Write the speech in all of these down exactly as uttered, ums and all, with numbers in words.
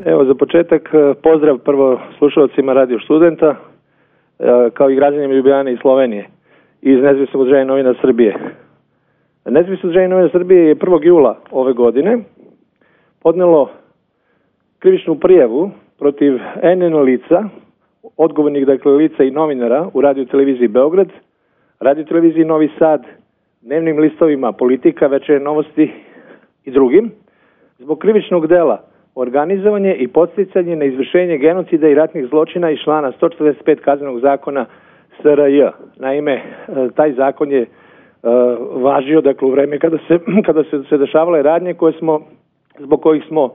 Evo, za početak pozdrav prvo slušalcima Radio Studenta, kao i građanima Ljubljane i Slovenije iz Nezavisnog udruženja novina Srbije. Nezavisno udruženje novina Srbije je prvog jula ove godine podnelo krivičnu prijavu protiv N N lica, odgovornih dakle lica i novinara u Radio televiziji Beograd, Radio televiziji Novi Sad, dnevnim listovima Politika, Večernje novosti i drugim, zbog krivičnog dela organizovanje i podsticanje na izvršenje genocida i ratnih zločina iz člana sto četrdeset pet Kaznenog zakona S R J. Naime, taj zakon je uh, važio dakle u vreme kada se kada se, se dešavale radnje koje smo zbog kojih smo uh,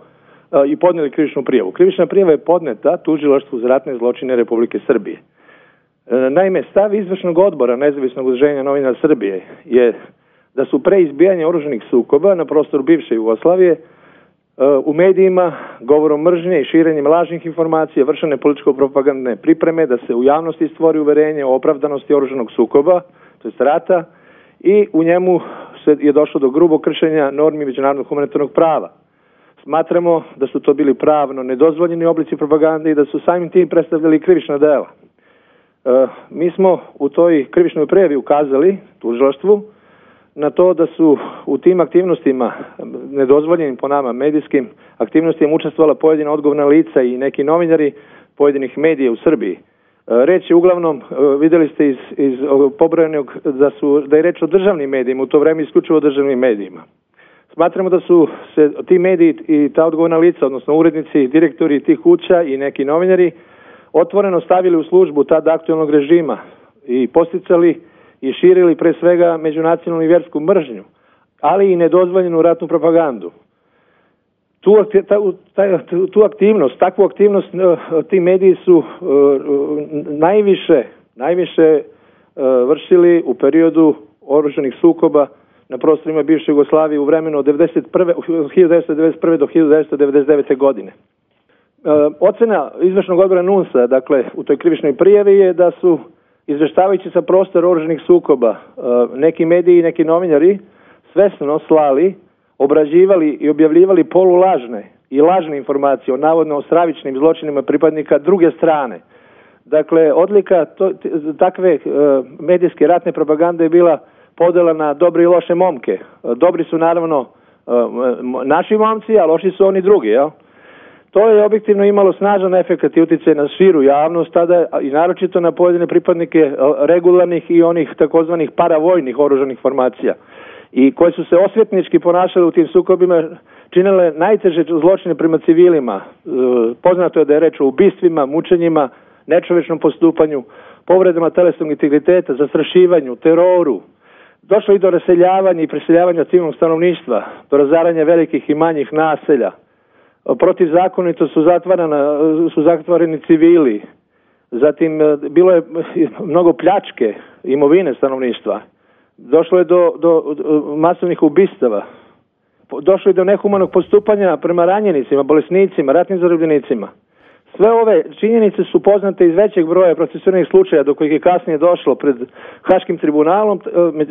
i podnijeli krivičnu prijavu. Krivična prijava je podneta Tužilaštvu za ratne zločine Republike Srbije. Uh, naime, stav izvršnog odbora Nezavisnog udruženja novina Srbije je da su pre izbijanja oružanih sukoba na prostoru bivše Jugoslavije u medijima, govorom mržnje i širenjem lažnih informacija, vršene političko-propagandne pripreme da se u javnosti stvori uverenje o opravdanosti oružanog sukoba, to jest rata, i u njemu se je došlo do grubog kršenja normi međunarodnog humanitarnog prava. Smatramo da su to bili pravno nedozvoljeni oblici propagande i da su samim tim predstavljali krivična dela. E, mi smo u toj krivičnoj prijavi ukazali tužilaštvu na to da su u tim aktivnostima, nedozvoljenim po nama medijskim aktivnostima, učestvovala pojedina odgovorna lica i neki novinari pojedinih medija u Srbiji. Reč je uglavnom, vidjeli ste iz, iz pobrojenog da, su, da je reč o državnim medijima, u to vreme isključivo o državnim medijima. Smatramo da su se ti mediji i ta odgovorna lica, odnosno urednici, direktori tih kuća i neki novinari, otvoreno stavili u službu tada aktualnog režima i posticali i širili pre svega međunacionalnu i vjersku mržnju, ali i nedozvoljenu ratnu propagandu. Tu, ta, tu aktivnost, takvu aktivnost ti mediji su uh, najviše, najviše uh, vršili u periodu oružanih sukoba na prostorima bivše Jugoslavije u vremenu od hiljadu devetsto devedeset prve do hiljadu devetsto devedeset devete godine. Uh, ocena izvršnog odbora N U N S-a, dakle, u toj krivičnoj prijavi je da su izveštavajući sa prostora oružanih sukoba, neki mediji i neki novinari svesno slali, obrađivali i objavljivali polulažne i lažne informacije o navodno stravičnim zločinima pripadnika druge strane. Dakle, odlika to, takve medijske ratne propagande je bila podela na dobre i loše momke. Dobri su naravno naši momci, a loši su oni drugi, jel? To je objektivno imalo snažan efekat i utjecaj na širu javnost tada i naročito na pojedine pripadnike regularnih i onih takozvanih paravojnih oružanih formacija i koje su se osvetnički ponašale u tim sukobima, činile najteže zločine prema civilima. Poznato je da je reč o ubistvima, mučenjima, nečovečnom postupanju, povredama telesnog integriteta, zastrašivanju, teroru. Došlo i do raseljavanja i preseljavanja civilnog stanovništva, do razaranja velikih i manjih naselja. Protivzakonito su zatvarana, su zatvoreni civili. Zatim bilo je mnogo pljačke imovine stanovništva. Došlo je do, do, do masovnih ubistava. Došlo je do nehumanog postupanja prema ranjenicima, bolesnicima, ratnim zarobljenicima. Sve ove činjenice su poznate iz većeg broja procesuiranih slučaja do kojih je kasnije došlo pred Haškim tribunalom,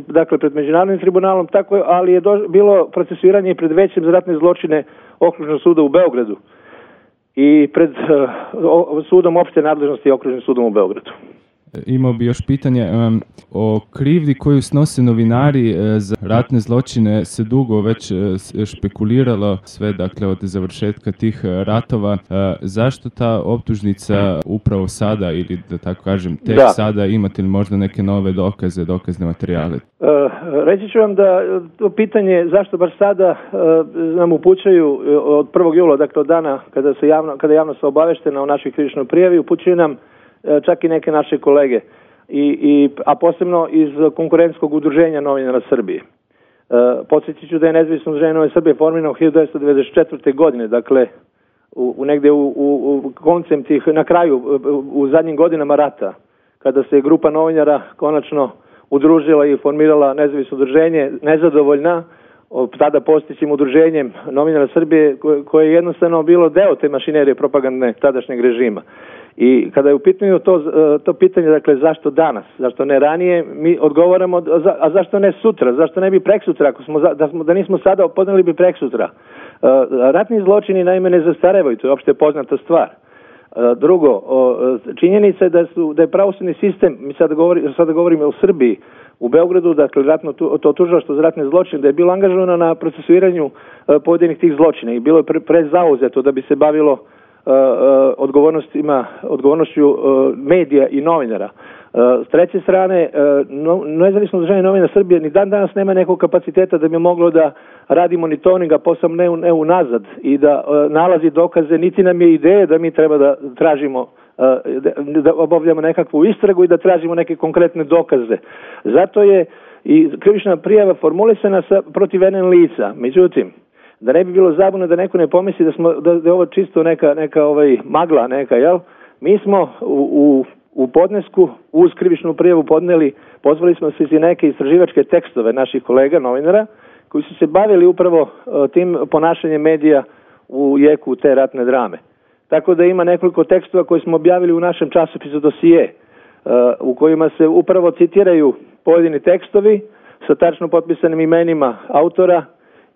dakle pred Međunarodnim tribunalom, tako, ali je do, bilo procesuiranje i pred većim za ratne zločine Okružnog suda u Beogradu i pred uh, sudom opšte nadležnosti i Okružnim sudom u Beogradu. Imao bi još pitanje um, o krivdi koju snose novinari uh, za ratne zločine. Se dugo već uh, špekuliralo sve, dakle, od završetka tih uh, ratova. Uh, zašto ta optužnica upravo sada, ili da tako kažem, tek da. sada, imate li možda neke nove dokaze, dokazne materijale? Uh, reći ću vam da to pitanje zašto baš sada uh, nam upućaju od prvog jula, dakle od dana kada se javno, kada javno se obaveštena o našoj krivičnoj prijavi, upućuju nam čak i neke naše kolege, I, i, a posebno iz konkurentskog udruženja novinara Srbije. E, podsjetit ću da je Nezavisno udruženje Nove Srbije formirano hiljadu devetsto devedeset četvrte. godine, dakle u, u negde u, u, u koncem tih, na kraju, u, u zadnjim godinama rata, kada se grupa novinara konačno udružila i formirala Nezavisno udruženje, nezadovoljna tada postojećim udruženjem novinara Srbije, koje je jednostavno bilo deo te mašinerije propagandne tadašnjeg režima. I kada je u pitanju to, to pitanje, dakle, zašto danas, zašto ne ranije, mi odgovaramo, a zašto ne sutra, zašto ne bi preksutra, ako smo, da, smo, da nismo sada, podneli bi preksutra. Ratni zločini naime ne zastarevaju, to je opšte poznata stvar. Drugo, činjenica je da, su, da je pravosudni sistem, mi sada, govori, sada govorimo o Srbiji, u Beogradu, dakle, ratno, to tužilaštvo za ratne zločine, da je bilo angažovano na procesuiranju pojedinih tih zločina i bilo je pre, prezauzeto da bi se bavilo odgovornostima, odgovornošću medija i novinara. S treće strane, nezavisno udruženje novina Srbije ni dan danas nema nekog kapaciteta da bi moglo da radi monitoringa posao ne, ne unazad i da nalazi dokaze, niti nam je ideja da mi treba da tražimo, da obavljamo nekakvu istragu i da tražimo neke konkretne dokaze. Zato je i krivična prijava formulisana sa, protiv N N lica. Međutim, da ne bi bilo zabune da neko ne pomisli da smo da, da je ovo čisto neka neka ovaj magla neka, jel? Mi smo u, u u podnesku uz krivičnu prijavu podneli, pozvali smo se i neke istraživačke tekstove naših kolega novinara koji su se bavili upravo uh, tim ponašanjem medija u jeku te ratne drame. Tako da ima nekoliko tekstova koje smo objavili u našem časopisu Dosije, uh, u kojima se upravo citiraju pojedini tekstovi sa tačno potpisanim imenima autora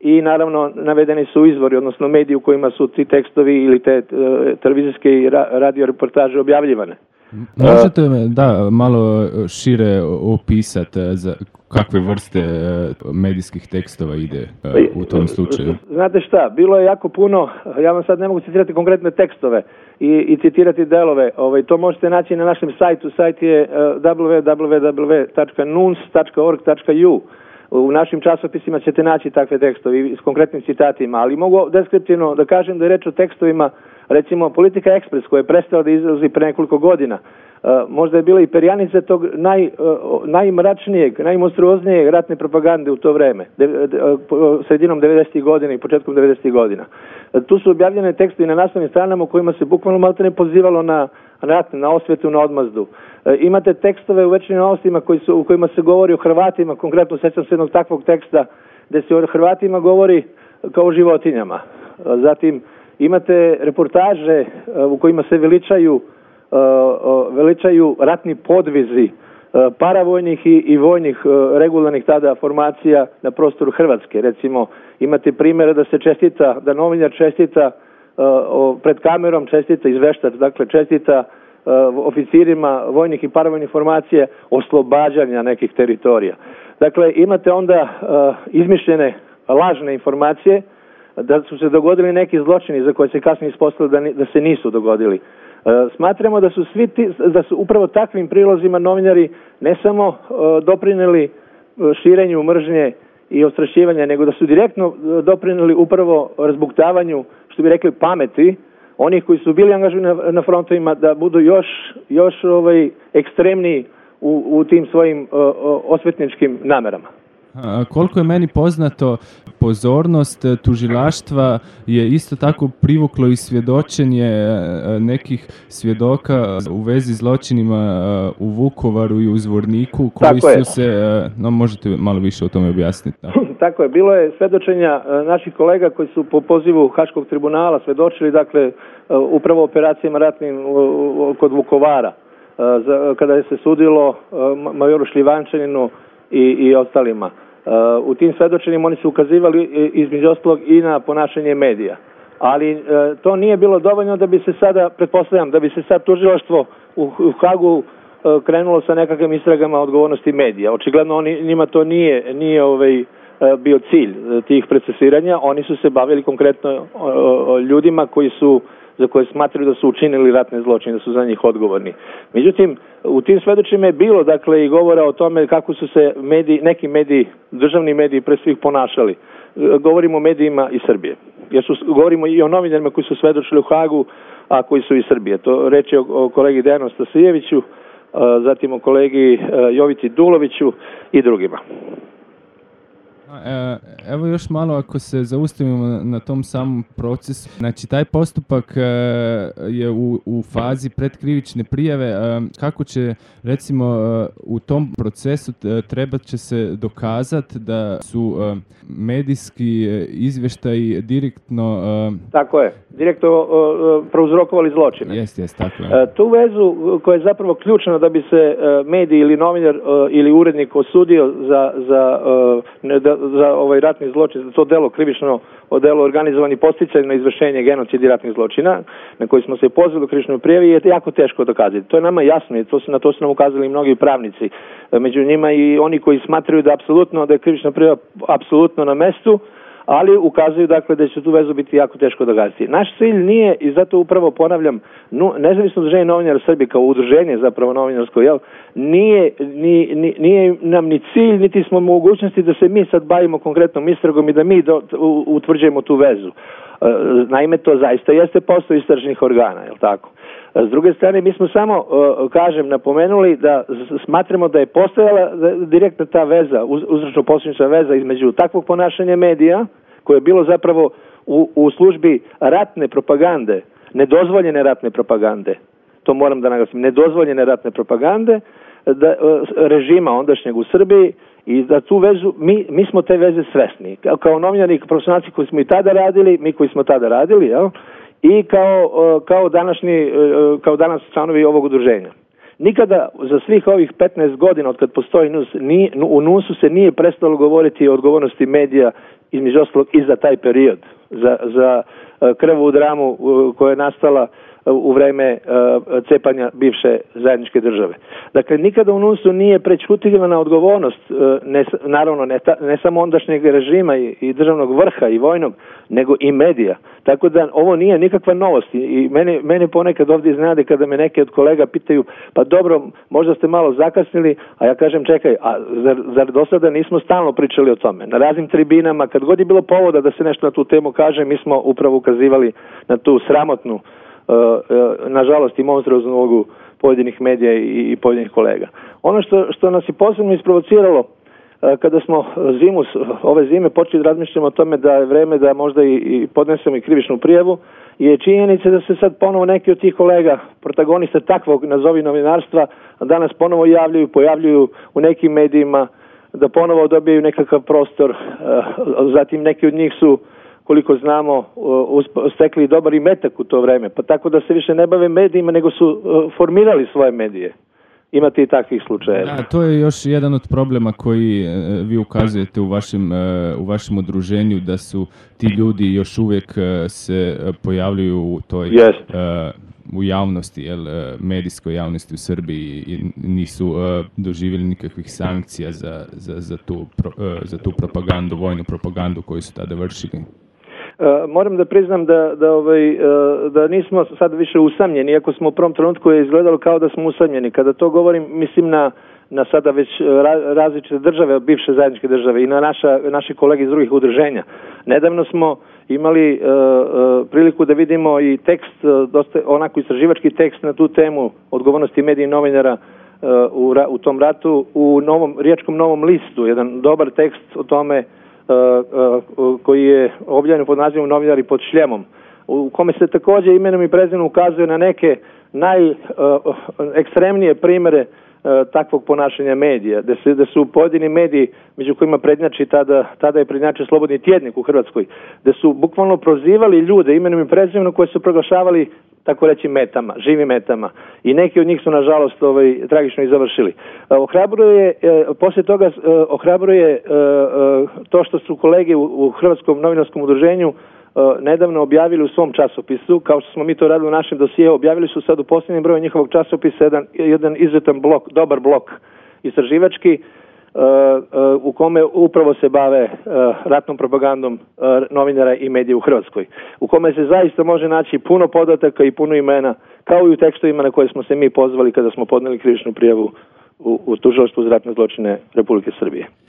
i naravno navedeni su izvori, odnosno mediji u kojima su ti tekstovi ili te uh, televizijske i ra- radio reportaže objavljivane. Možete me, da, malo šire opisati za kakve vrste medijskih tekstova ide u tom slučaju? Znate šta, bilo je jako puno, ja vam sad ne mogu citirati konkretne tekstove i, i citirati delove, ovaj, to možete naći na našem sajtu, sajt je w w w tačka nuns tačka org tačka u a. U našim časopisima ćete naći takve tekstove s konkretnim citatima, ali mogu deskriptivno da kažem da je reč o tekstovima, recimo Politika Ekspres koja je prestala da izlazi pre nekoliko godina. Uh, možda je bila i perjanica tog naj, uh, najmračnijeg, najmonstruoznijeg ratne propagande u to vreme, de, de, uh, sredinom devedesetih godina i početkom devedesetih godina. Uh, tu su objavljene tekstovi na naslovnim stranama u kojima se bukvalno malo ne pozivalo na rat, na osvetu, na odmazdu. Uh, imate tekstove u Večernjim novostima koji su, u kojima se govori o Hrvatima, konkretno sećam se jednog takvog teksta gde se o Hrvatima govori kao o životinjama. Uh, zatim imate reportaže uh, u kojima se veličaju uh, uh, veličaju ratni podvizi uh, paravojnih i, i vojnih uh, regularnih tada formacija na prostoru Hrvatske. Recimo, imate primjere da se čestita, da novinar čestita uh, o, pred kamerom, čestita izveštač, dakle čestita uh, oficirima vojnih i paravojnih formacija oslobađanja nekih teritorija. Dakle, imate onda uh, izmišljene lažne informacije da su se dogodili neki zločini za koje se kasnije ispostavilo da, da se nisu dogodili. E, smatramo da su svi ti, da su upravo takvim prilozima novinari ne samo e, doprineli širenju mržnje i ostrašćivanja, nego da su direktno doprineli upravo razbuktavanju, što bi rekli, pameti onih koji su bili angažovani na, na frontovima da budu još, još ovaj, ekstremniji u, u tim svojim o, o, osvetničkim namerama. A koliko je meni poznato, pozornost tužilaštva je isto tako privuklo i svjedočenje nekih svjedoka u vezi zločinima u Vukovaru i u Zvorniku koji su se, no možete malo više o tome objasniti. Da. Tako je, bilo je svjedočenja naših kolega koji su po pozivu Haškog tribunala svjedočili, dakle, upravo operacijama ratnim kod Vukovara, kada je se sudilo majoru Šljivančaninu i, i ostalima. U tim svedočenjima oni su ukazivali između ostalog i na ponašanje medija. Ali to nije bilo dovoljno da bi se sada, pretpostavljam, da bi se sad tužilaštvo u, u Hagu krenulo sa nekakvim istragama odgovornosti medija. Očigledno oni, njima to nije, nije ovaj, bio cilj tih procesiranja. Oni su se bavili konkretno ljudima koji su za koje smatraju da su učinili ratne zločine, da su za njih odgovorni. Međutim, u tim svedočima je bilo, dakle, i govora o tome kako su se mediji, neki mediji, državni mediji pre svih ponašali. Govorimo o medijima iz Srbije. Jer su, govorimo i o novinarima koji su svedočili u Hagu, a koji su iz Srbije. To reč je o, o kolegi Dejanu Stasijeviću, zatim o kolegi Jovici Duloviću i drugima. Evo još malo ako se zaustavimo na tom samom procesu. Znači taj postupak je u, u fazi predkrivične prijave. Kako će recimo u tom procesu trebat će se dokazati da su medijski izvještaji direktno... Tako je, direktno prouzrokovali zločine. Jest, jest, tako je. Tu vezu koja je zapravo ključna da bi se medij ili novinar ili urednik osudio za, za da za, za ovaj ratni zločin, za to delo krivično o delu organizovani podsticaj na izvršenje genocida i ratnih zločina, na koji smo se pozvali u krivičnoj prijavi, je jako teško dokazati. To je nama jasno i to su, na to su nam ukazali mnogi pravnici. Među njima i oni koji smatraju da apsolutno da je krivična prijava apsolutno na mestu, ali ukazuju dakle da će tu vezu biti jako teško dokazati. Naš cilj nije, i zato upravo ponavljam, no, nezavisno udruženje novinara Srbije kao udruženje zapravo novinarsko, jel, nije, ni, ni, nije nam ni cilj, niti smo mogućnosti da se mi sad bavimo konkretnom istragom i da mi do, u, utvrđujemo tu vezu. Naime, to zaista jeste posao istražnih organa, jel tako? S druge strane, mi smo samo, kažem, napomenuli da smatramo da je postojala direktna ta veza, uzročno-posljedična veza između takvog ponašanja medija, koje je bilo zapravo u, u službi ratne propagande, nedozvoljene ratne propagande, to moram da naglasim, nedozvoljene ratne propagande, da, režima ondašnjeg u Srbiji, i da tu vezu, mi, mi smo te veze svesni. Kao, kao novinari i profesionalci koji smo i tada radili, mi koji smo tada radili, jel? I kao, kao, današnji, kao danas članovi ovog udruženja. Nikada za svih ovih petnaest godina od kad postoji N U S, nije, u N U S-u se nije prestalo govoriti o odgovornosti medija, između ostalog i za taj period, za, za krvavu dramu koja je nastala u vreme uh, cepanja bivše zajedničke države. Dakle, nikada u N U S-u nije prećutivana odgovornost, uh, ne, naravno ne, ta, ne samo ondašnjeg režima i, i državnog vrha i vojnog, nego i medija. Tako da ovo nije nikakva novost i, i mene, mene ponekad ovdje iznenade kada me neke od kolega pitaju, pa dobro, možda ste malo zakasnili, a ja kažem čekaj, a zar, zar do sada nismo stalno pričali o tome? Na raznim tribinama, kad god je bilo povoda da se nešto na tu temu kaže, mi smo upravo ukazivali na tu sramotnu, Uh, uh, nažalost i monstruoznu ulogu pojedinih medija i, i pojedinih kolega. Ono što, što nas je posebno isprovociralo uh, kada smo zimu, ove zime počeli da razmišljamo o tome da je vreme da možda i, i podnesemo i krivičnu prijavu, je činjenica da se sad ponovo neki od tih kolega, protagonista takvog nazovi novinarstva, danas ponovo javljaju, pojavljuju u nekim medijima, da ponovo dobijaju nekakav prostor, uh, zatim neki od njih su, koliko znamo, stekli dobar imetak u to vreme, pa tako da se više ne bave medijima, nego su formirali svoje medije. Imate i takvih slučajeva. Da, to je još jedan od problema koji vi ukazujete u vašem, u vašem udruženju, da su ti ljudi još uvijek se pojavljuju u toj yes. u javnosti, jel, medijskoj javnosti u Srbiji i nisu doživjeli nikakvih sankcija za, za, za, tu, za tu propagandu, vojnu propagandu koju su tada vršili. Uh, moram da priznam da, da, ovaj, uh, da nismo sad više usamljeni, iako smo u prvom trenutku je izgledalo kao da smo usamljeni. Kada to govorim, mislim na, na sada već ra, različite države, bivše zajedničke države i na naša, naše kolege iz drugih udruženja. Nedavno smo imali uh, uh, priliku da vidimo i tekst, uh, dosta, onako istraživački tekst na tu temu odgovornosti medija i novinara uh, u, u tom ratu u novom, Riječkom Novom listu, jedan dobar tekst o tome Uh, uh, koji je objavljen pod nazivom Novinari pod šljemom, u kome se također imenom i prezimenom ukazuje na neke najekstremnije uh, primjere uh, takvog ponašanja medija, da, se, da su pojedini mediji, među kojima prednjači tada, tada je prednjačio Slobodni tjednik u Hrvatskoj, da su bukvalno prozivali ljude imenom i prezimenom koje su proglašavali, tako reći, metama, živim metama. I neki od njih su, nažalost, ovaj, tragično i završili. Ohrabruje, eh, poslije toga eh, ohrabruje eh, to što su kolege u, u Hrvatskom novinarskom udruženju eh, nedavno objavili u svom časopisu, kao što smo mi to radili u našem dosijeu, objavili su sad u posljednjem broju njihovog časopisa jedan, jedan izuzetan blok, dobar blok istraživački, Uh, uh, u kome upravo se bave uh, ratnom propagandom uh, novinara i medija u Hrvatskoj. U kome se zaista može naći puno podataka i puno imena, kao i u tekstovima na koje smo se mi pozvali kada smo podneli krivičnu prijavu u, u tužilaštvu za ratne zločine Republike Srbije.